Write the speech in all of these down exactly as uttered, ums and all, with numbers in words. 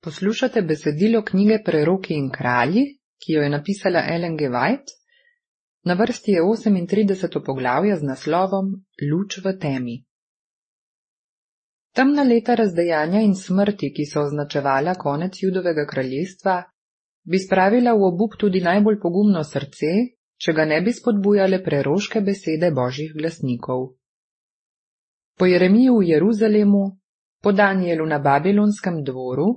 Poslušate besedilo knjige Preroki in kralji, ki jo je napisala Ellen G. White. Na vrsti je osemintrideseto poglavje z naslovom Luč v temi. Temna leta razdejanja in smrti, ki so označevala konec Judovega kraljestva, bi spravila v obup tudi najbolj pogumno srce, če ga ne bi spodbujale preroške besede božjih glasnikov. Po Jeremiju v Jeruzalemu, po Danijelu na babilonskem dvoru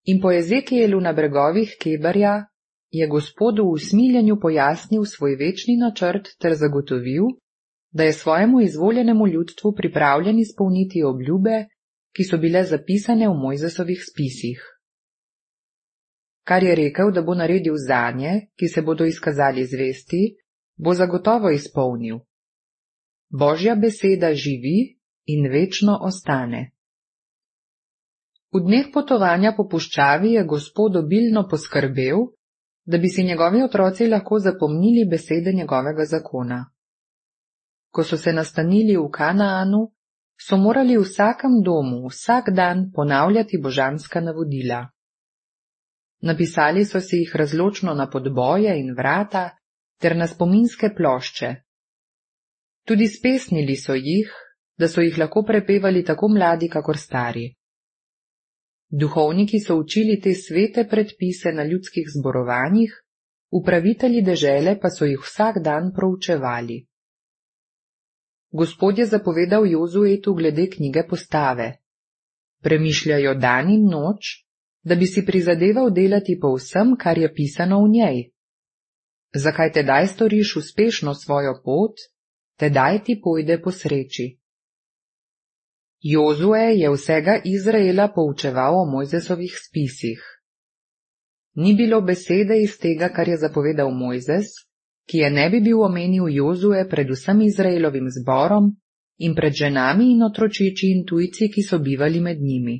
in po Ezekijelu na bregovih Kebarja je Gospod v usmiljenju pojasnil svoj večni načrt ter zagotovil, da je svojemu izvoljenemu ljudstvu pripravljen izpolniti obljube, ki so bile zapisane v Mojzesovih spisih. Kar je rekel, da bo naredil zanje, ki se bodo izkazali zvesti, bo zagotovo izpolnil. Božja beseda živi in večno ostane. V dneh potovanja po puščavi je Gospod obilno poskrbel, da bi si njegovi otroci lahko zapomnili besede njegovega zakona. Ko so se nastanili v Kanaanu, so morali v vsakem domu vsak dan ponavljati božanska navodila. Napisali so si jih razločno na podboje in vrata ter na spominske plošče. Tudi spesnili so jih, da so jih lahko prepevali tako mladi kakor stari. Duhovniki so učili te svete predpise na ljudskih zborovanjih, upravitelji dežele pa so jih vsak dan proučevali. Gospod je zapovedal Jozuetu glede knjige postave. Premišljajo dan in noč, da bi si prizadeval delati po vsem, kar je pisano v njej. Zakaj tedaj storiš uspešno svojo pot, tedaj ti pojde po sreči. Jozue je vsega Izraela poučeval o Mojzesovih spisih. Ni bilo besede iz tega, kar je zapovedal Mojzes, ki je ne bi bil omenil Jozue pred vsem Izraelovim zborom in pred ženami in otročiči in tujci, ki so bivali med njimi.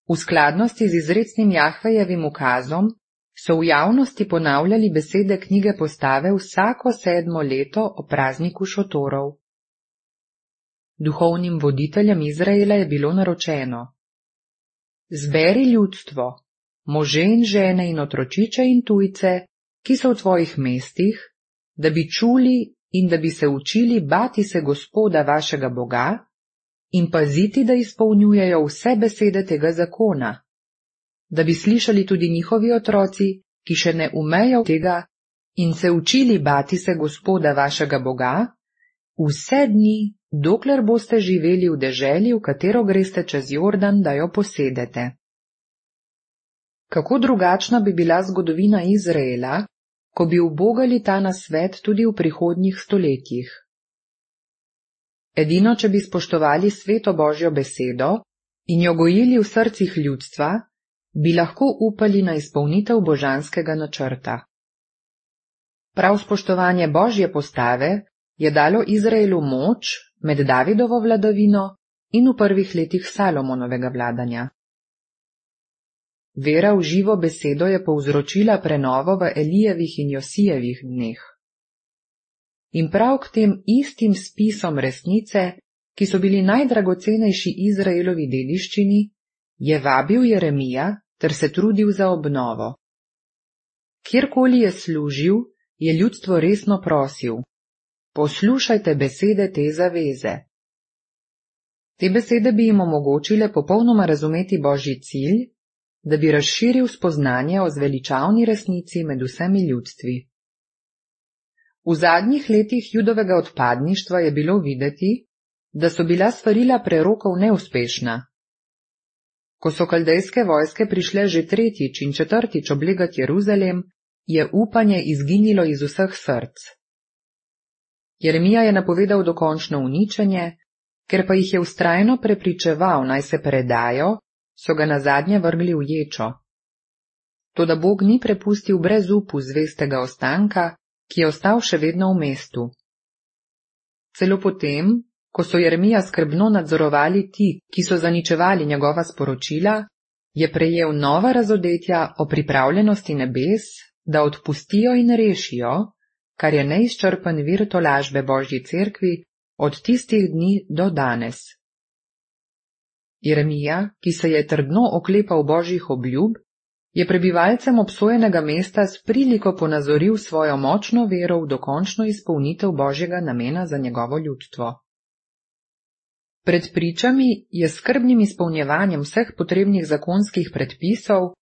V skladnosti z izrecnim Jahvejevim ukazom so v javnosti ponavljali besede knjige postave vsako sedmo leto o prazniku šotorov. Duhovnim voditeljem Izraela je bilo naročeno: zberi ljudstvo, može in žene in otročiče in tujce, ki so v tvojih mestih, da bi čuli in da bi se učili bati se Gospoda vašega Boga in paziti, da izpolnjujejo vse besede tega zakona, da bi slišali tudi njihovi otroci, ki še ne umejo tega, in se učili bati se Gospoda vašega Boga, vse dni, dokler boste živeli v deželi, v katero greste čez Jordan, da jo posedete. Kako drugačna bi bila zgodovina Izraela, ko bi ubogali ta nasvet tudi v prihodnjih stoletjih. Edino, če bi spoštovali sveto Božjo besedo in jo gojili v srcih ljudstva, bi lahko upali na izpolnitev božanskega načrta. Prav spoštovanje Božje postave je dalo Izraelu moč med Davidovo vladavino in v prvih letih Salomonovega vladanja. Vera v živo besedo je povzročila prenovo v Elijevih in Josijevih dneh. In prav k tem istim spisom resnice, ki so bili najdragocenejši Izraelovi dediščini, je vabil Jeremija ter se trudil za obnovo. Kjerkoli je služil, je ljudstvo resno prosil: poslušajte besede te zaveze. Te besede bi jim omogočile popolnoma razumeti Božji cilj, da bi razširil spoznanje o zveličavni resnici med vsemi ljudstvi. V zadnjih letih Judovega odpadništva je bilo videti, da so bila svarila prerokov neuspešna. Ko so kaldejske vojske prišle že tretjič in četrtič oblegati Jeruzalem, je upanje izginilo iz vseh src. Jeremija je napovedal dokončno uničenje, ker pa jih je vztrajno prepričeval, naj se predajo, so ga nazadnje vrgli v ječo. Toda Bog ni prepustil brez upu zvestega ostanka, ki je ostal še vedno v mestu. Celo potem, ko so Jeremija skrbno nadzorovali ti, ki so zaničevali njegova sporočila, je prejel nova razodetja o pripravljenosti nebes, da odpustijo in rešijo, kar je neizčrpen vir tolažbe Božji cerkvi od tistih dni do danes. Jeremija, ki se je trdno oklepal božjih obljub, je prebivalcem obsojenega mesta s priliko ponazoril svojo močno vero v dokončno izpolnitev božjega namena za njegovo ljudstvo. Pred pričami je s skrbnim izpolnjevanjem vseh potrebnih zakonskih predpisov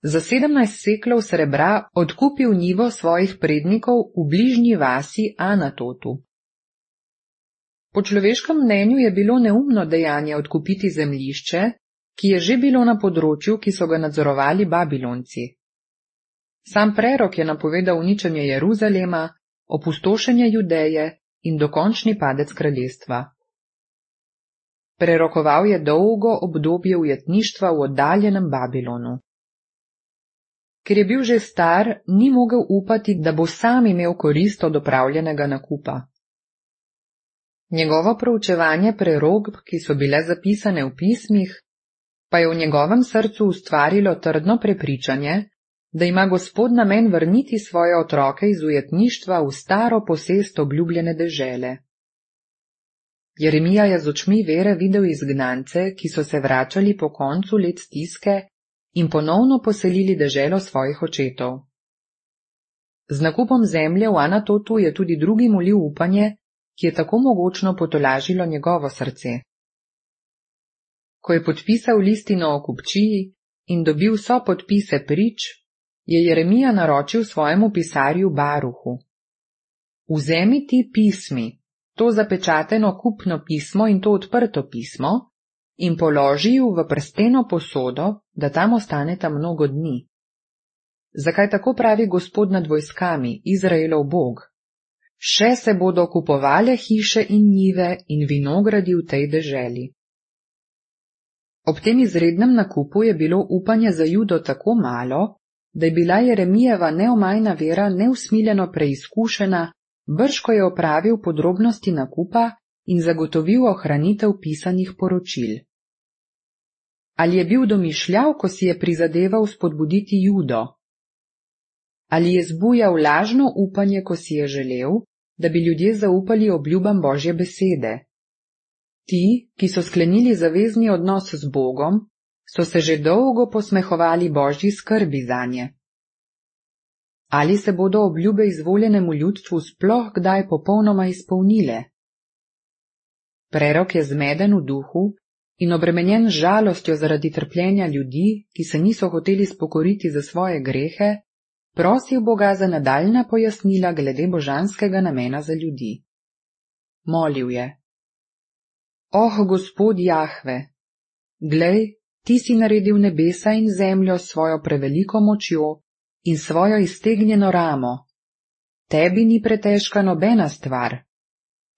za sedemnajst seklov srebra odkupil njivo svojih prednikov v bližnji vasi Anatotu. Po človeškem mnenju je bilo neumno dejanje odkupiti zemljišče, ki je že bilo na področju, ki so ga nadzorovali Babilonci. Sam prerok je napovedal uničenje Jeruzalema, opustošenje Judeje in dokončni padec kraljestva. Prerokoval je dolgo obdobje ujetništva v oddaljenem Babilonu. Ker je bil že star, ni mogel upati, da bo sam imel korist od opravljenega nakupa. Njegovo proučevanje prerokb, ki so bile zapisane v pismih, pa je v njegovem srcu ustvarilo trdno prepričanje, da ima Gospod namen vrniti svoje otroke iz ujetništva v staro posest obljubljene dežele. Jeremija je z očmi vere videl izgnance, ki so se vračali po koncu let stiske in ponovno poselili deželo svojih očetov. Z nakupom zemlje v Anatotu je tudi drugi molil upanje, ki je tako mogočno potolažilo njegovo srce. Ko je podpisal listino o kupčiji in dobil vso podpise prič, je Jeremija naročil svojemu pisarju Baruhu: Vzemi ti pismi, to zapečateno kupno pismo in to odprto pismo, in položi ju v prsteno posodo, da tam ostaneta mnogo dni. Zakaj tako pravi Gospod nad vojskami, Izraelov Bog? Še se bodo kupovale hiše in njive in vinogradi v tej deželi. Ob tem izrednem nakupu je bilo upanje za Judo tako malo, da je bila Jeremijeva neomajna vera neusmiljeno preizkušena, brž ko je opravil podrobnosti nakupa in zagotovil ohranitev pisanih poročil. Ali je bil domišljav, ko si je prizadeval spodbuditi Judo? Ali je zbujal lažno upanje, ko si je želel, da bi ljudje zaupali obljubam Božje besede? Ti, ki so sklenili zavezni odnos z Bogom, so se že dolgo posmehovali Božji skrbi zanje. Ali se bodo obljube izvoljenemu ljudstvu sploh kdaj popolnoma izpolnile? Prerok je zmeden v duhu in obremenjen z žalostjo zaradi trpljenja ljudi, ki se niso hoteli spokoriti za svoje grehe, prosil Boga za nadaljnja pojasnila glede božanskega namena za ljudi. Molil je: Oh, Gospod Jahve, glej, ti si naredil nebesa in zemljo s svojo preveliko močjo in svojo iztegnjeno ramo. Tebi ni pretežka nobena stvar,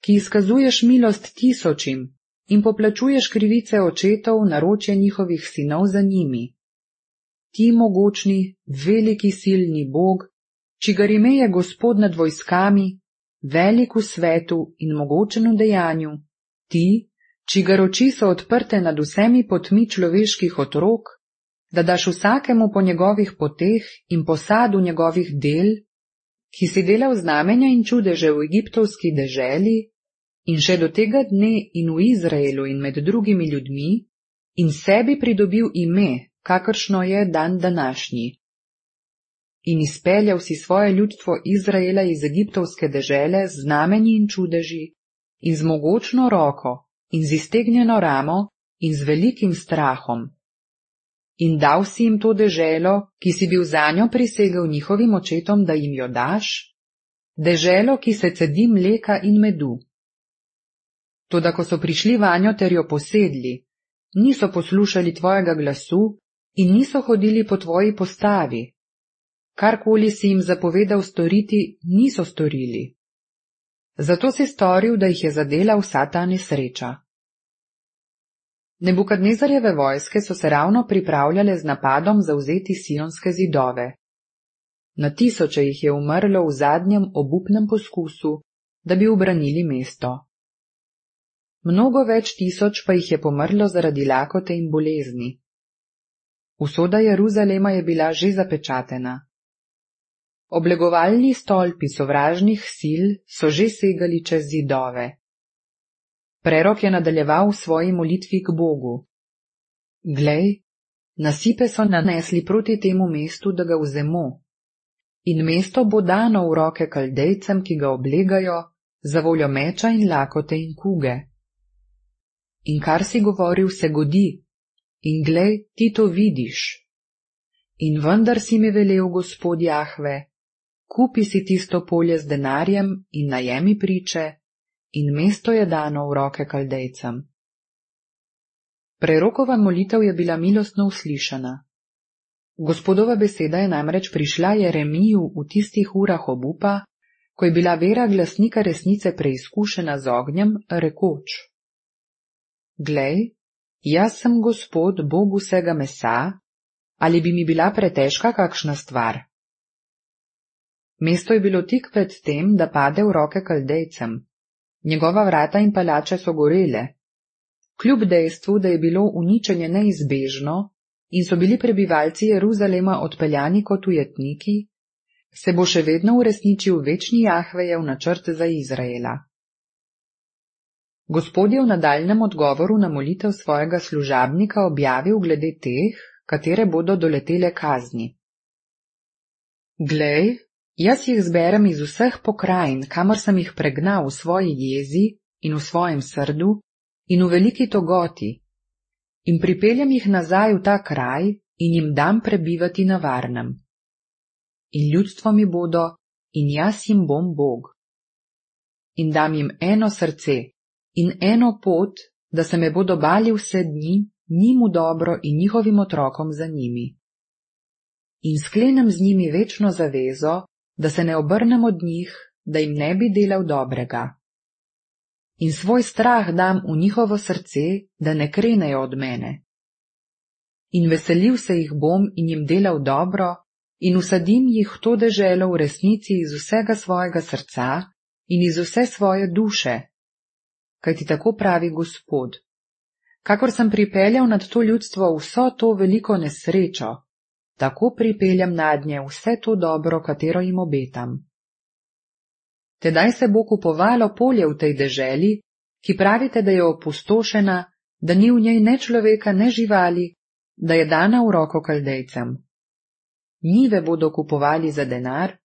ki izkazuješ milost tisočim in poplačuješ krivice očetov, naročje njihovih sinov za njimi. Ti mogočni, veliki silni Bog, čigar ime je Gospod nad vojskami, velik v svetu in mogočen v dejanju, ti, čigar oči so odprte nad vsemi potmi človeških otrok, da daš vsakemu po njegovih poteh in posadu njegovih del, ki si delal znamenja in čudeže v egiptovski deželi in še do tega dne in v Izraelu in med drugimi ljudmi, in sebi pridobil ime, kakršno je dan današnji. In izpeljal si svoje ljudstvo Izraela iz egiptovske dežele z znamenji in čudeži in z mogočno roko in z iztegnjeno ramo in z velikim strahom. In dal si jim to deželo, ki si bil zanjo prisegel njihovim očetom, da jim jo daš, deželo, ki se cedi mleka in medu. Toda ko so prišli vanjo ter jo posedli, niso poslušali tvojega glasu in niso hodili po tvoji postavi. Karkoli si jim zapovedal storiti, niso storili. Zato si storil, da jih je zadela vsa ta nesreča. Nebukadnezarjeve vojske so se ravno pripravljale z napadom zavzeti sionske zidove. Na tisoče jih je umrlo v zadnjem obupnem poskusu, da bi ubranili mesto. Mnogo več tisoč pa jih je pomrlo zaradi lakote in bolezni. Usoda Jeruzalema je bila že zapečatena. Oblegovalni stolpi sovražnih sil so že segali čez zidove. Prerok je nadaljeval v svoji molitvi k Bogu. Glej, nasipe so nanesli proti temu mestu, da ga vzemo, in mesto bo dano v roke Kaldejcem, ki ga oblegajo, za voljo meča in lakote in kuge. In kar si govoril, se godi, in glej, ti to vidiš. In vendar si mi velel, Gospod Jahve, kupi si tisto polje z denarjem in najemi priče, in mesto je dano v roke Kaldejcem. Prerokova molitev je bila milostno uslišana. Gospodova beseda je namreč prišla Jeremiju v tistih urah obupa, ko je bila vera glasnika resnice preizkušena z ognjem, rekoč: Glej, jaz sem Gospod, Bog vsega mesa, ali bi mi bila pretežka kakšna stvar? Mesto je bilo tik pred tem, da pade v roke Kaldejcem. Njegova vrata in palače so gorele. Kljub dejstvu, da je bilo uničenje neizbežno in so bili prebivalci Jeruzalema odpeljani kot ujetniki, se bo še vedno uresničil večni Jahvejev načrt za Izraela. Gospod je v nadaljnjem odgovoru na molitev svojega služabnika objavil glede teh, katere bodo doletele kazni. Glej, jaz jih zberem iz vseh pokrajin, kamor sem jih pregnal v svoji jezi in v svojem srdu in v veliki togoti, in pripeljem jih nazaj v ta kraj in jim dam prebivati na varnem. In ljudstvo mi bodo, in jaz jim bom Bog. In dam jim eno srce in eno pot, da se me bodo bali vse dni, njim v dobro in njihovim otrokom za njimi. In sklenem z njimi večno zavezo, da se ne obrnem od njih, da jim ne bi delal dobrega. In svoj strah dam v njihovo srce, da ne krenejo od mene. In veselil se jih bom in jim delal dobro, in usadim jih v to deželo v resnici iz vsega svojega srca in iz vse svoje duše. Kajti tako pravi Gospod: kakor sem pripeljal nad to ljudstvo vso to veliko nesrečo, tako pripeljam nadnje vse to dobro, katero jim obetam. Tedaj se bo kupovalo polje v tej deželi, ki pravite, da je opustošena, da ni v njej ne človeka, ne živali, da je dana v roko Kaldejcem. Njive bodo kupovali za denar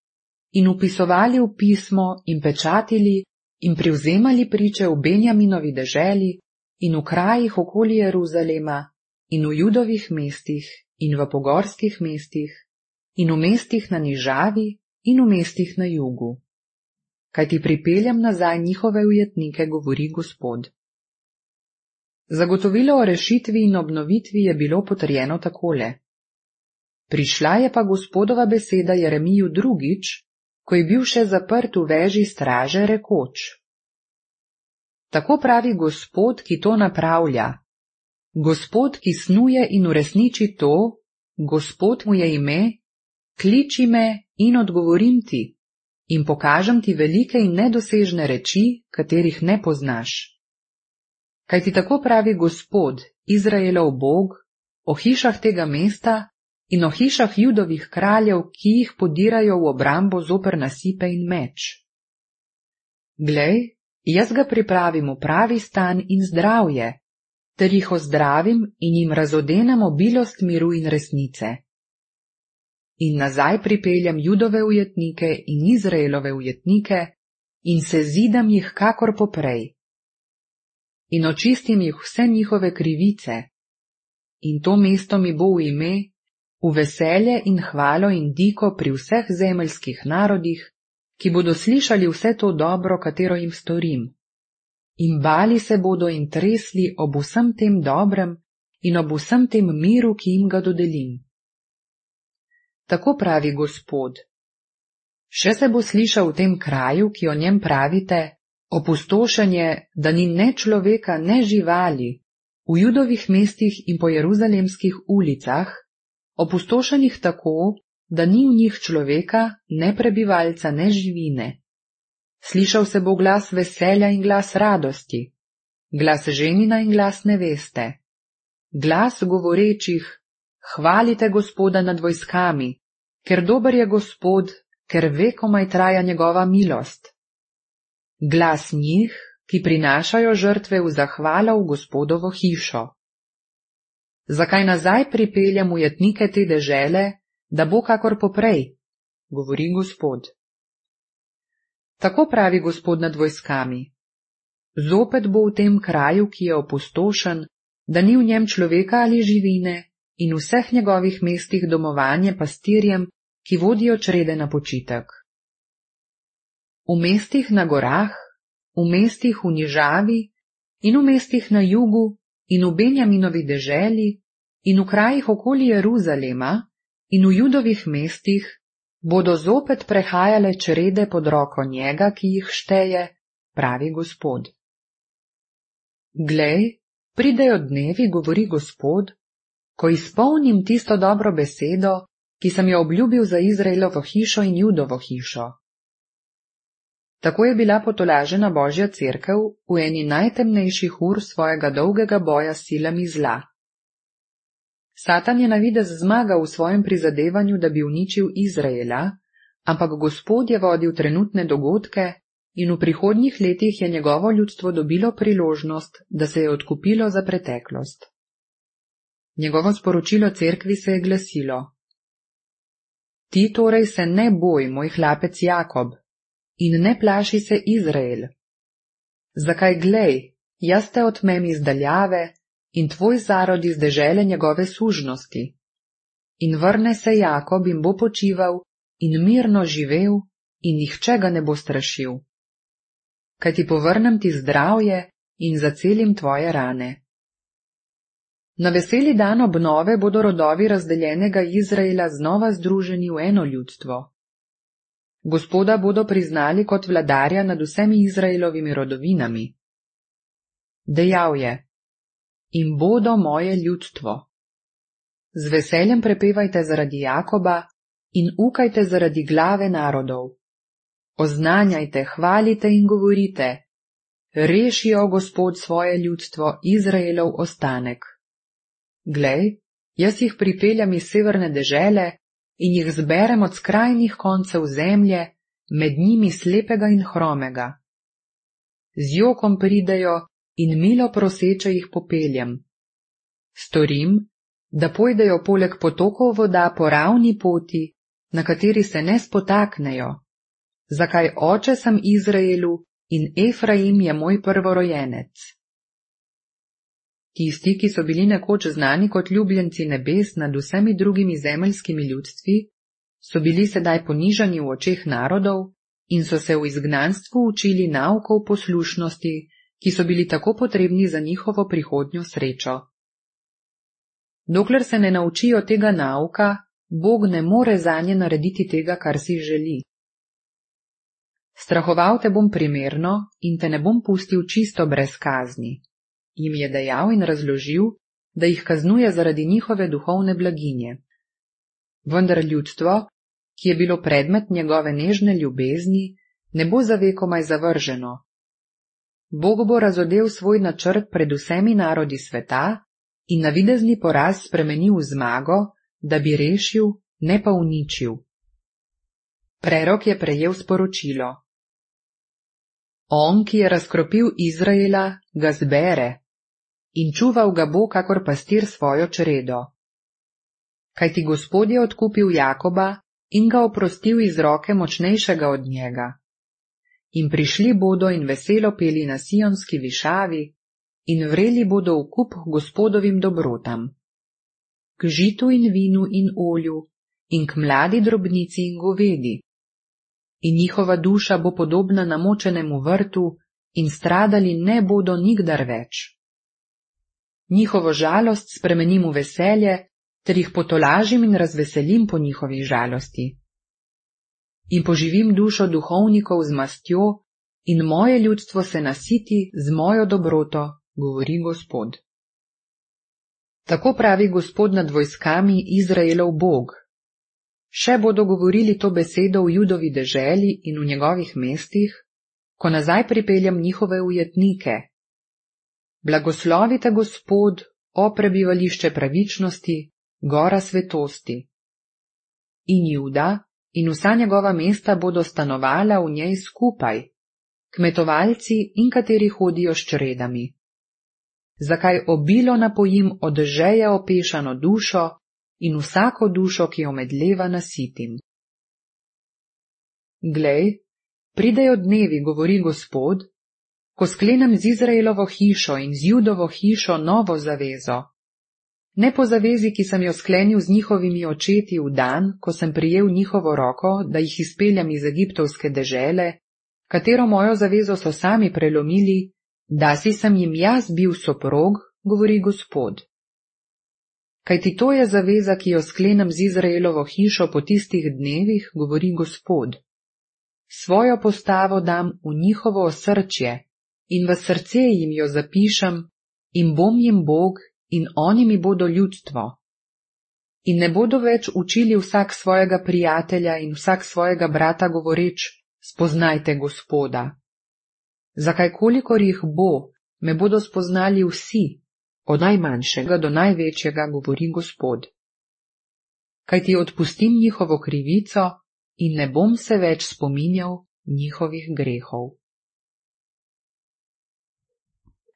in upisovali v pismo in pečatili in privzemali priče v Benjaminovi deželi in v krajih okoli Jeruzalema in v Judovih mestih in v pogorskih mestih in v mestih na nižavi in v mestih na jugu. Kajti pripeljam nazaj njihove ujetnike, govori Gospod. Zagotovilo o rešitvi in obnovitvi je bilo potrjeno takole. Prišla je pa Gospodova beseda Jeremiju drugič, ko je bil še zaprt v veži straže, rekoč: Tako pravi Gospod, ki to napravlja, Gospod, ki snuje in uresniči to, Gospod mu je ime, kliči me in odgovorim ti in pokažem ti velike in nedosežne reči, katerih ne poznaš. Kajti tako pravi Gospod, Izraelov Bog, o hišah tega mesta in o hišah Judovih kraljev, ki jih podirajo v obrambo zoper nasipe in meč. Glej, jaz ga pripravim v pravi stan in zdravje, ter jih ozdravim in jim razodenem obilost miru in resnice. In nazaj pripeljam Judove ujetnike in Izraelove ujetnike in se zidam jih kakor poprej. In očistim jih vse njihove krivice. In to mesto mi bo v ime, v veselje in hvalo in diko pri vseh zemeljskih narodih, ki bodo slišali vse to dobro, katero jim storim. In bali se bodo in tresli ob vsem tem dobrem in ob vsem tem miru, ki jim ga dodelim. Tako pravi Gospod. Še se bo slišal v tem kraju, ki o njem pravite, opustošenje, da ni ne človeka, ne živali, v Judovih mestih in po jeruzalemskih ulicah, opustošenih tako, da ni v njih človeka, ne prebivalca, ne živine. Slišal se bo glas veselja in glas radosti, glas ženina in glas neveste, glas govorečih: hvalite Gospoda nad vojskami, ker dober je Gospod, ker vekomaj traja njegova milost. Glas njih, ki prinašajo žrtve v zahvalo v Gospodovo hišo. Zakaj nazaj pripeljem ujetnike te dežele, da bo kakor poprej, govori Gospod. Tako pravi Gospod nad vojskami. Zopet bo v tem kraju, ki je opustošen, da ni v njem človeka ali živine, in v vseh njegovih mestih domovanje pastirjem, ki vodijo črede na počitek. V mestih na gorah, v mestih v nižavi in v mestih na jugu in v Benjaminovi deželi in v krajih okoli Jeruzalema in v Judovih mestih bodo zopet prehajale črede pod roko njega, ki jih šteje, pravi Gospod. Glej, pridejo dnevi, govori Gospod, ko izpolnim tisto dobro besedo, ki sem jo obljubil za Izraelovo hišo in Judovo hišo. Tako je bila potolažena Božja cerkev v eni najtemnejših ur svojega dolgega boja s silami zla. Satan je na videz zmagal v svojem prizadevanju, da bi uničil Izraela, ampak Gospod je vodil trenutne dogodke in v prihodnjih letih je njegovo ljudstvo dobilo priložnost, da se je odkupilo za preteklost. Njegovo sporočilo cerkvi se je glasilo: Ti torej se ne boj, moj hlapec Jakob, in ne plaši se Izrael. Zakaj glej, jaz te otmem iz daljave in tvoj zarod iz dežele njegove sužnosti. In vrne se Jakob in bo počival in mirno živel in nihče ga ne bo strašil. Kaj ti povrnem ti zdravje in zacelim tvoje rane. Na veseli dan obnove bodo rodovi razdeljenega Izraela znova združeni v eno ljudstvo. Gospoda bodo priznali kot vladarja nad vsemi Izraelovimi rodovinami. Dejal je: In bodo moje ljudstvo. Z veseljem prepevajte zaradi Jakoba in ukajte zaradi glave narodov. Oznanjajte, hvalite in govorite: Rešijo Gospod svoje ljudstvo, Izraelov ostanek. Glej, jaz jih pripeljem iz severne dežele in jih zberem od skrajnih koncev zemlje, med njimi slepega in hromega. Z jokom pridejo in milo proseče jih popeljem. Storim, da pojdejo poleg potokov voda po ravni poti, na kateri se ne spotaknejo. Zakaj oče sem Izraelu in Efraim je moj prvorojenec. Tisti, ki so bili nekoč znani kot ljubljenci nebes nad vsemi drugimi zemeljskimi ljudstvi, so bili sedaj ponižani v očeh narodov in so se v izgnanstvu učili naukov poslušnosti, ki so bili tako potrebni za njihovo prihodnjo srečo. Dokler se ne naučijo tega nauka, Bog ne more zanje narediti tega, kar si želi. Strahoval te bom primerno in te ne bom pustil čisto brez kazni, jim je dejal in razložil, da jih kaznuje zaradi njihove duhovne blaginje. Vendar ljudstvo, ki je bilo predmet njegove nežne ljubezni, ne bo za vekomaj zavrženo. Bog bo razodel svoj načrt pred vsemi narodi sveta in navidezni poraz spremenil v zmago, da bi rešil, ne pa uničil. Prerok je prejel sporočilo: On, ki je razkropil Izraela, ga zbere in čuval ga bo kakor pastir svojo čredo. Kajti Gospod je odkupil Jakoba in ga oprostil iz roke močnejšega od njega. In prišli bodo in veselo peli na sionski višavi in vreli bodo v kup Gospodovim dobrotam, k žitu in vinu in olju in k mladi drobnici in govedi. In njihova duša bo podobna namočenemu vrtu in stradali ne bodo nikdar več. Njihovo žalost spremenim v veselje, ter jih potolažim in razveselim po njihovi žalosti. In poživim dušo duhovnikov z mastjo in moje ljudstvo se nasiti z mojo dobroto, govori Gospod. Tako pravi Gospod nad vojskami, Izraelov Bog. Še bodo govorili to besedo v Judovi deželi in v njegovih mestih, ko nazaj pripeljem njihove ujetnike. Blagoslovite Gospod, o prebivališče pravičnosti, gora svetosti. In Juda in vsa njegova mesta bodo stanovala v njej skupaj, kmetovalci in kateri hodijo s čredami. zakaj obilo napojim od žeje opešano dušo in vsako dušo, ki jo medleva, nasitim. Glej, pridejo dnevi, govori Gospod, ko sklenem z Izraelovo hišo in z Judovo hišo novo zavezo. Ne po zavezi, ki sem jo sklenil z njihovimi očeti v dan, ko sem prijel njihovo roko, da jih izpeljem iz egiptovske dežele, katero mojo zavezo so sami prelomili, da si sem jim jaz bil soprog, govori Gospod. Kajti to je zaveza, ki jo sklenem z Izraelovo hišo po tistih dnevih, govori Gospod. Svojo postavo dam v njihovo osrčje in v srce jim jo zapišem in bom jim Bog in oni mi bodo ljudstvo. In ne bodo več učili vsak svojega prijatelja in vsak svojega brata govoreč, spoznajte Gospoda. Zakaj kolikor jih bo, me bodo spoznali vsi, od najmanjšega do največjega, govori Gospod. Kajti odpustim njihovo krivico in ne bom se več spominjal njihovih grehov.